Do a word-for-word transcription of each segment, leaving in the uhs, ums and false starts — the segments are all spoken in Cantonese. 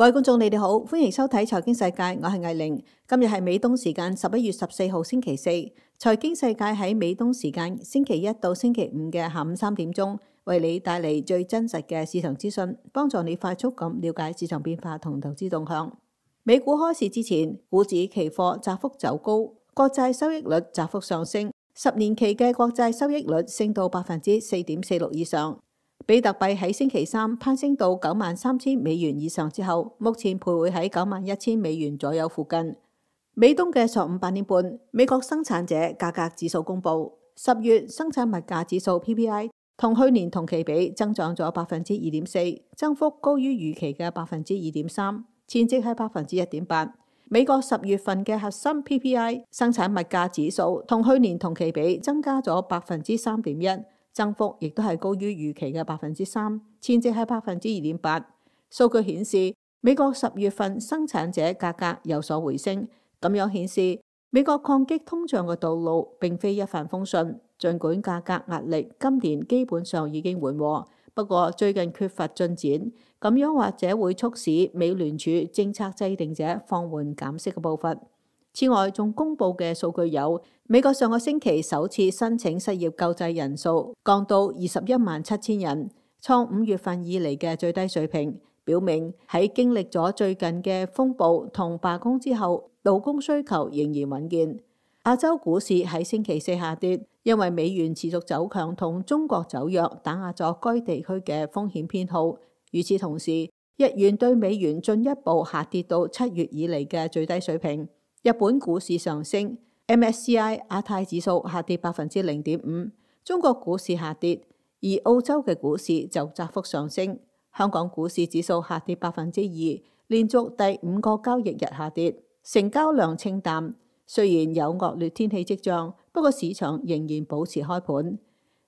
各位觀眾，你哋好，歡迎收睇財經世界，我係藝玲。今日係美東時間十一月十四號星期四，財經世界喺美東時間星期一到星期五嘅下午三點鐘，為你帶嚟最真實嘅市場資訊，幫助你快速咁了解市場變化同投資動向。美股開市之前，股指期貨窄幅走高，國債收益率窄幅上升，十年期嘅國債收益率升到百分之四點四六以上。比特幣喺星期三攀升到九萬三千美元以上之後，目前徘徊喺九萬一千美元左右附近。美東嘅上午八點半，美國生產者價格指數公布，十月生產物價指數 P P I 同去年同期比增長咗百分之二點四，增幅高於預期嘅百分之二點三，前值係百分之一點八。美國十月份嘅核心 P P I 生產物價指數同去年同期比增加咗百分之三點一。增幅亦都係高於預期嘅百分之三，前值係百分之二點八。數據顯示，美國十月份生產者價格有所回升，咁樣顯示美國抗擊通脹嘅道路並非一帆風順。儘管價格壓力今年基本上已經緩和，不過最近缺乏進展，咁樣或者會促使美聯儲政策制定者放緩減息嘅步伐。此外，仲公布嘅數據有美國上個星期首次申請失業救濟人數降到二十一萬七千人，創五月份以嚟嘅最低水平，表明喺經歷咗最近嘅風暴同罷工之後，勞工需求仍然穩健。亞洲股市喺星期四下跌，因為美元持續走強同中國走弱打壓咗該地區嘅風險偏好。與此同時，日元對美元進一步下跌到七月以嚟嘅最低水平。日本股市上升 ，M S C I 亞太指數下跌百分之零點五，中國股市下跌，而澳洲嘅股市就窄幅上升。香港股市指數下跌百分之二，連續第五個交易日下跌，成交量清淡。雖然有惡劣天氣跡象，不過市場仍然保持開盤。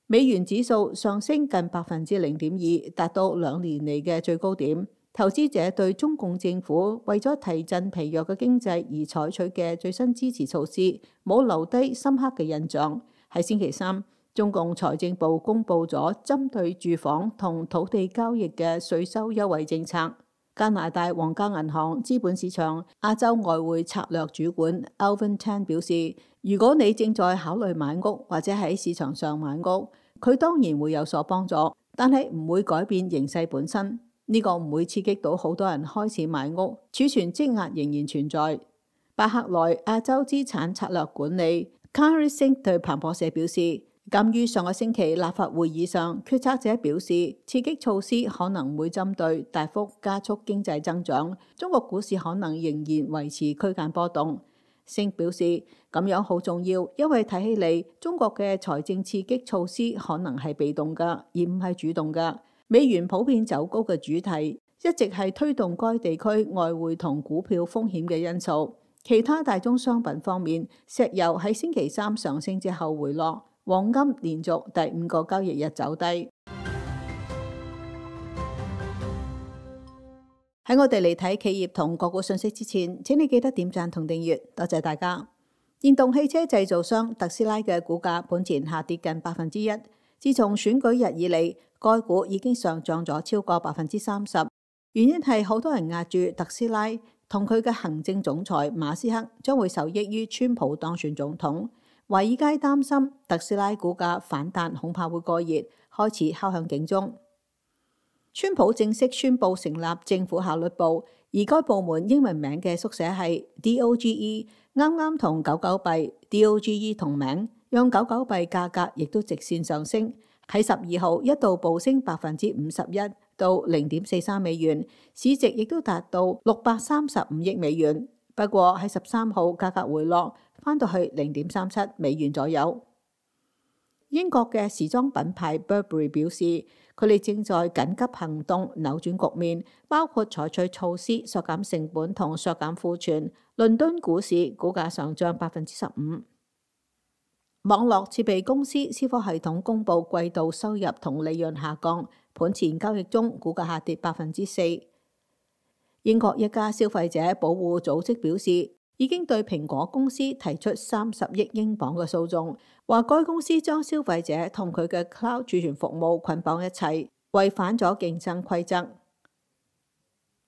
美元指數上升近百分之零點二，達到兩年嚟嘅最高點。投資者對中共政府為咗提振疲弱嘅經濟而採取嘅最新支持措施冇留低深刻嘅印象。喺星期三，中共財政部公布咗針對住房同土地交易嘅稅收優惠政策。加拿大皇家銀行資本市場亞洲外匯策略主管 Alvin Tan 表示，如果你正在考慮買屋或者喺市場上買屋，佢當然會有所幫助，但係唔會改變形勢本身。呢個唔會刺激到好多人開始買屋，儲存積壓仍然存在。巴克萊亞洲資產策略管理 Kari Singh 對彭博社表示，鑑於上個星期立法會議上決策者表示刺激措施可能會針對大幅加速經濟增長，中國股市可能仍然維持區間波動。Singh 表示咁樣好重要，因為睇起嚟中國嘅財政刺激措施可能係被動㗎，而唔係主動㗎。美元普遍走高嘅主題一直係推動該地區外匯同股票風險嘅因素。其他大宗商品方面，石油喺星期三上升之後回落，黃金連續第五個交易日走低。喺我哋嚟睇企業同個股信息之前，請你記得點讚同訂閱，多謝大家。電動汽車製造商特斯拉嘅股價本前下跌近百分之一，自從選舉日以嚟，該股已經上漲咗超過百分之三十，原因係好多人押住特斯拉同佢嘅行政總裁馬斯克將會受益於川普當選總統。華爾街擔心特斯拉股價反彈恐怕會過熱，開始敲響警鐘。川普正式宣布成立政府效率部，而該部門英文名嘅縮寫係 D O G E， 啱啱同狗狗幣 D O G E 同名，讓狗狗幣價格亦都直線上升。喺十二號一度暴升百分之五十一到零點四三美元，市值亦都達到六百三十五億美元。不過喺十三號價格回落，翻到去零點三七美元左右。英國嘅時裝品牌 Burberry 表示，佢哋正在緊急行動扭轉局面，包括採取措施削減成本同削減庫存。倫敦股市股價上漲百分之十五。網絡設備公司思科系統公布季度收入同利潤下降，盤前交易中股價下跌百分之四。英國一家消費者保護組織表示，已經對蘋果公司提出三十億英鎊嘅訴訟，話該公司將消費者同佢嘅 cloud 儲存服務捆綁一齊，違反咗競爭規則。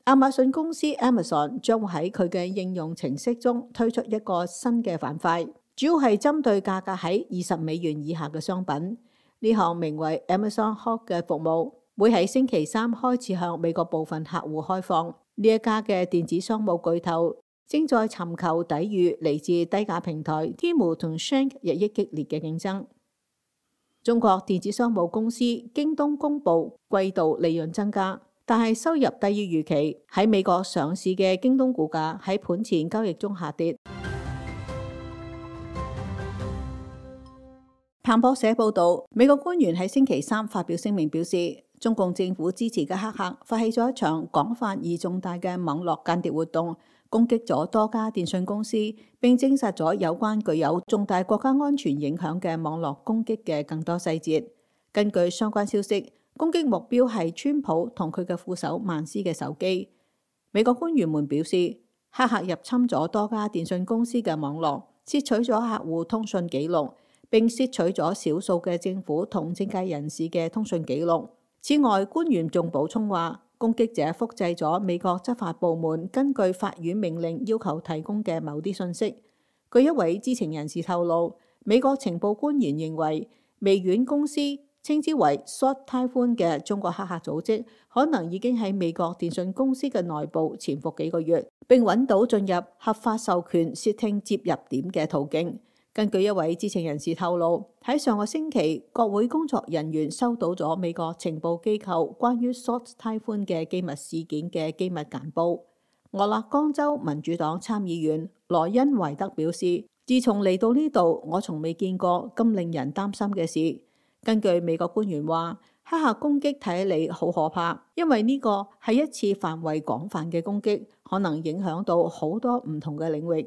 亞馬遜公司 Amazon 將會喺佢嘅應用程式中推出一個新嘅板塊，主要係針對價格喺二十美元以下嘅商品。呢項名為 Amazon Hub 嘅服務會喺星期三開始向美國部分客戶開放。呢一家嘅電子商務巨頭正在尋求抵禦嚟自低價平台 Temu 同 Shank 日益激烈嘅競爭。中國電子商務公司京東公布季度利潤增加，但係收入低於預期。喺美國上市嘅京東股價喺盤前交易中下跌。彭博社報道，美國官員喺星期三發表聲明表示，中共政府支持嘅黑客發起咗一場廣泛而重大嘅網絡間諜活動，攻擊咗多家電信公司，並證實咗有關具有重大國家安全影響嘅網絡攻擊嘅更多細節。根據相關消息，攻擊目標係川普同佢嘅副手曼斯嘅手機。美國官員們表示，黑客入侵咗多家電信公司嘅網絡，竊取咗客戶通訊記錄，並竊取咗少數嘅政府同政界人士嘅通訊記錄。此外，官員仲補充話，攻擊者複製咗美國執法部門根據法院命令要求提供嘅某啲信息。據一位知情人士透露，美國情報官員認為，微軟公司稱之為 Sword Typhoon 嘅中國黑客組織，可能已經喺美國電信公司嘅內部潛伏幾個月，並揾到進入合法授權竊聽接入點嘅途徑。根據一位知情人士透露，喺上個星期，國會工作人員收到咗美國情報機構關於 Sword Typhoon 嘅機密事件嘅機密簡報。俄勒岡州民主黨參議員羅恩維德表示，自從嚟到呢度，我從未見過咁令人擔心嘅事。根據美國官員話，黑客攻擊睇起嚟好可怕，因為呢個係一次範圍廣泛嘅攻擊，可能影響到好多唔同嘅領域。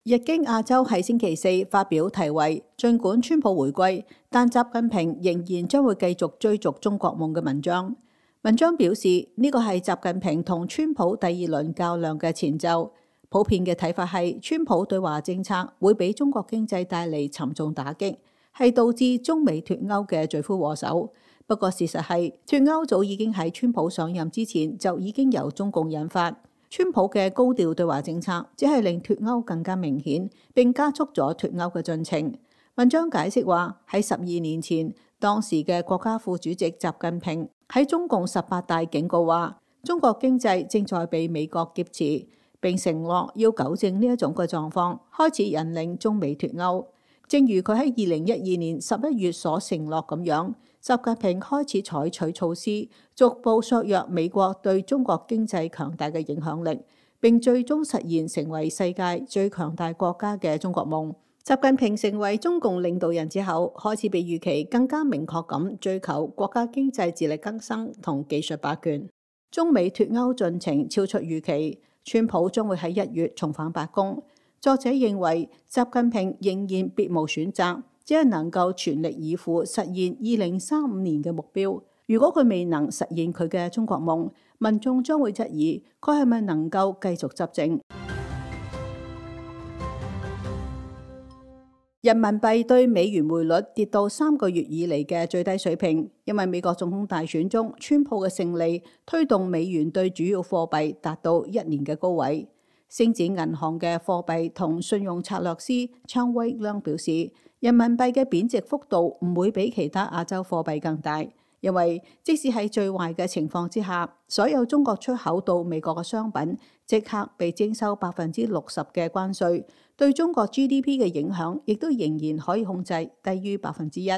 日經亞洲喺星期四發表題為《儘管川普回歸，但習近平仍然將會繼續追逐中國夢》嘅文章。文章表示，呢個係習近平同川普第二輪較量嘅前奏。普遍嘅睇法係，川普對華政策會俾中國經濟帶嚟沉重打擊，係導致中美脱歐嘅罪魁禍首。不過事實係，脱歐早已經喺川普上任之前就已經由中共引發。川普嘅高調對華政策只係令脱歐更加明顯，並加速咗脱歐嘅進程。文章解釋話，喺十二年前，當時嘅國家副主席習近平喺中共十八大警告話，中國經濟正在被美國劫持，並承諾要糾正呢一種嘅狀況，開始引領中美脱歐。正如佢喺二零一二年十一月所承諾咁樣，習近平開始採取措施，逐步削弱美國對中國經濟強大嘅影響力，並最終實現成為世界最強大國家嘅中國夢。習近平成為中共領導人之後，開始比預期更加明確咁追求國家經濟自力更生同技術霸權。中美脱歐進程超出預期，川普將會喺一月重返白宮。作者認為，習近平仍然別無選擇，只係能夠全力以赴實現二零三五年嘅目標。如果佢未能實現佢嘅中國夢，民眾將會質疑佢係咪能夠繼續執政。人民幣對美元匯率跌到三個月以嚟嘅最低水平，因為美國總統大選中川普嘅勝利推動美元對主要貨幣達到一年嘅高位。星展銀行嘅貨幣同信用策略師昌威亮表示，人民幣嘅貶值幅度唔會比其他亞洲貨幣更大，因為即使喺最壞嘅情況之下，所有中國出口到美國嘅商品即刻被徵收百分之六十嘅關稅，對中國 G D P 嘅影響亦都仍然可以控制低於百分之一。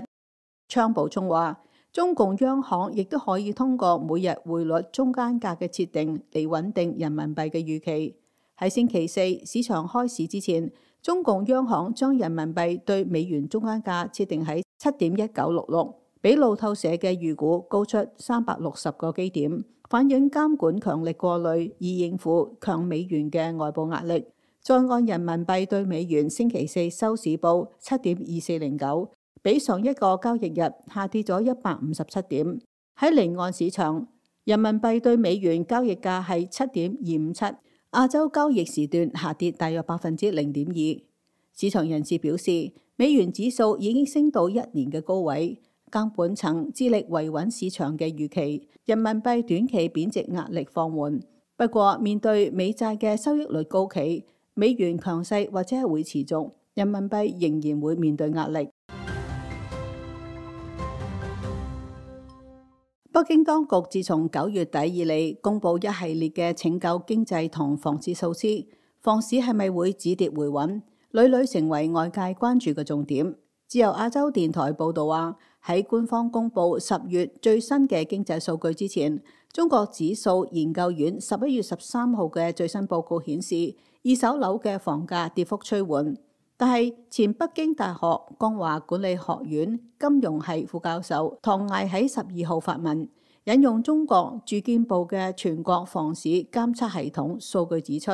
昌補充話，中共央行亦都可以通過每日匯率中間價嘅設定嚟穩定人民幣嘅預期。喺星期四市場開市之前，中共央行將人民幣對美元中間價設定喺七點一九六六，比路透社嘅預估高出三百六十個基點，反映監管強力過濾以應付強美元嘅外部壓力。在岸人民幣對美元星期四收市報七點二四零九，比上一個交易日下跌咗一百五十七點。喺離岸市場，人民幣對美元交易價係七點二五七。亞洲交易時段下跌大約百分之零點二。市場人士表示，美元指數已經升到一年嘅高位，監管層致力維穩市場嘅預期，人民幣短期貶值壓力放緩。不過，面對美債嘅收益率高企，美元強勢或者係會持續，人民幣仍然會面對壓力。北京當局自從九月底以嚟，公布一系列嘅拯救經濟同房市措施，房市係咪會止跌回穩，屢屢成為外界關注嘅重點。自由亞洲電台報道話，喺官方公布十月最新嘅經濟數據之前，中國指數研究院十一月十三號嘅最新報告顯示，二手樓嘅房價跌幅趨緩。但係前北京大學光華管理學院金融系副教授唐毅喺十二號發文，引用中國住建部嘅全國房市監測系統數據指出，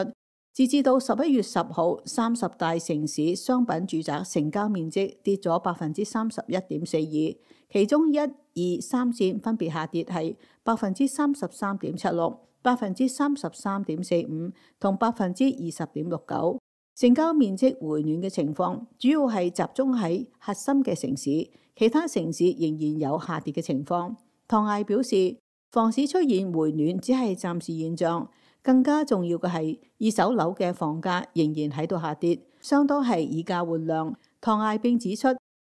截至到十一月十號，三十大城市商品住宅成交面積跌咗百分之三十一點四二，其中一、二、三線分別下跌係百分之三十三點七六、百分之三十三點四五同百分之二十點六九。成交面積回暖嘅情況主要係集中喺核心嘅城市，其他城市仍然有下跌嘅情況。唐毅表示，房市出現回暖只係暫時現象，更加重要嘅係二手樓嘅房價仍然喺度下跌，相當係以價換量。唐毅並指出，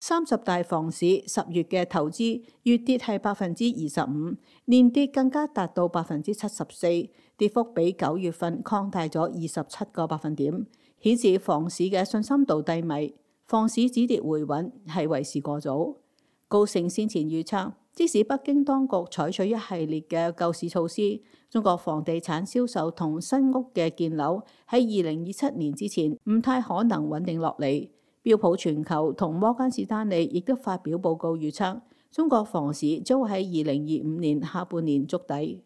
三十大房市十月嘅投資月跌係百分之二十五，年跌更加達到百分之七十四，跌幅比九月份擴大咗二十七個百分點。顯示房市嘅信心度低迷，房市止跌回穩係為時過早。高盛先前預測，即使北京當局採取一系列嘅救市措施，中國房地產銷售同新屋嘅建樓喺二零二七年之前唔太可能穩定落嚟。標普全球同摩根士丹利亦都發表報告預測，中國房市將會喺二零二五年下半年築底。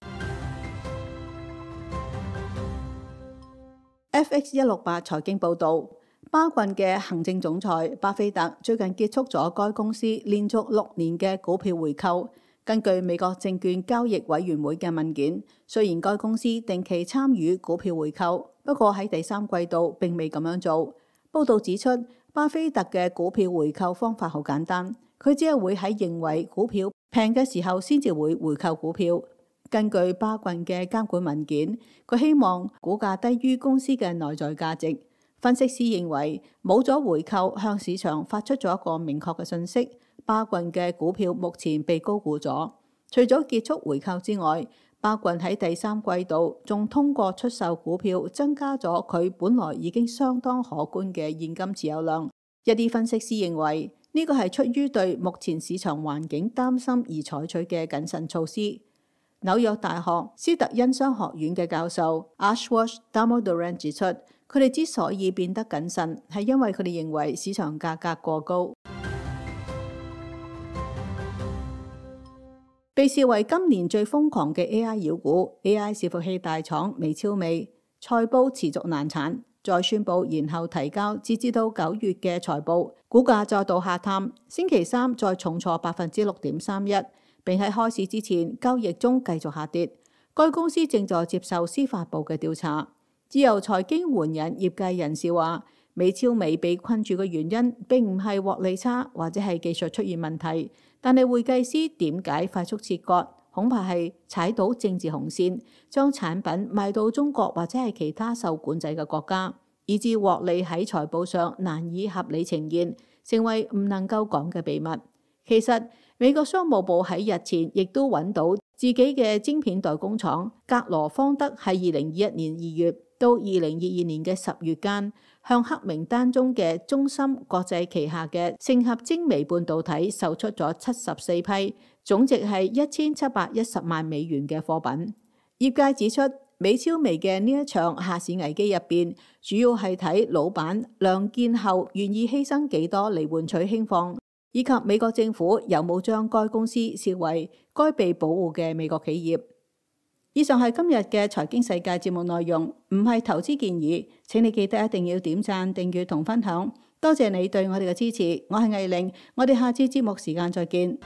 F X 一六八財經報導，巴郡嘅行政總裁巴菲特最近結束咗該公司連續六年嘅股票回購。根據美國證券交易委員會嘅文件，雖然該公司定期參與股票回購，不過喺第三季度並未咁樣做。報導指出，巴菲特嘅股票回購方法好簡單，佢只係會喺認為股票平嘅時候先至會回購股票。根據巴郡嘅監管文件，佢希望股價低於公司嘅內在價值。分析師認為，冇咗回購向市場發出咗一個明確嘅信息，巴郡嘅股票目前被高估咗。除咗結束回購之外，巴郡喺第三季度仲通過出售股票增加咗佢本來已經相當可觀嘅現金持有量。一啲分析師認為，呢個係出於對目前市場環境擔心而採取嘅謹慎措施。紐約大學斯特恩商學院嘅教授 Ashwath Damodaran 指出，佢哋之所以變得謹慎，係因為佢哋認為市場價格過高。被視為今年最瘋狂嘅 A I 妖股 A I 伺服器大廠美超美，財報持續難產，再宣布延後提交截至到九月嘅財報，股價再度下探，星期三再重挫百分之六點三一。並喺開市之前交易中繼續下跌。該公司正在接受司法部嘅調查。自由財經援引業界人士話，美超美被困住嘅原因並唔係獲利差或者係技術出現問題，但係會計師點解快速切割，恐怕係踩到政治紅線，將產品賣到中國或者係其他受管制嘅國家，以致獲利喺財報上難以合理呈現，成為唔能夠講嘅秘密。其實美國商務部喺日前亦都揾到自己嘅晶片代工廠格羅方德喺二零二一年二月到二零二二年嘅十月間，向黑名單中嘅中芯國際旗下嘅盛合精微半導體售出咗七十四批，總值係一千七百一十萬美元嘅貨品。業界指出，美超微嘅呢一場下市危機入邊，主要係睇老闆亮劍後願意犧牲幾多嚟換取興放，以及美國政府有冇將該公司視為該被保護嘅美國企業。以上係今日嘅財經世界節目內容，唔係投資建議，請你記得一定要點讚、訂閱同分享。多謝你對我哋嘅支持，我係藝玲，我哋下次節目時間再見。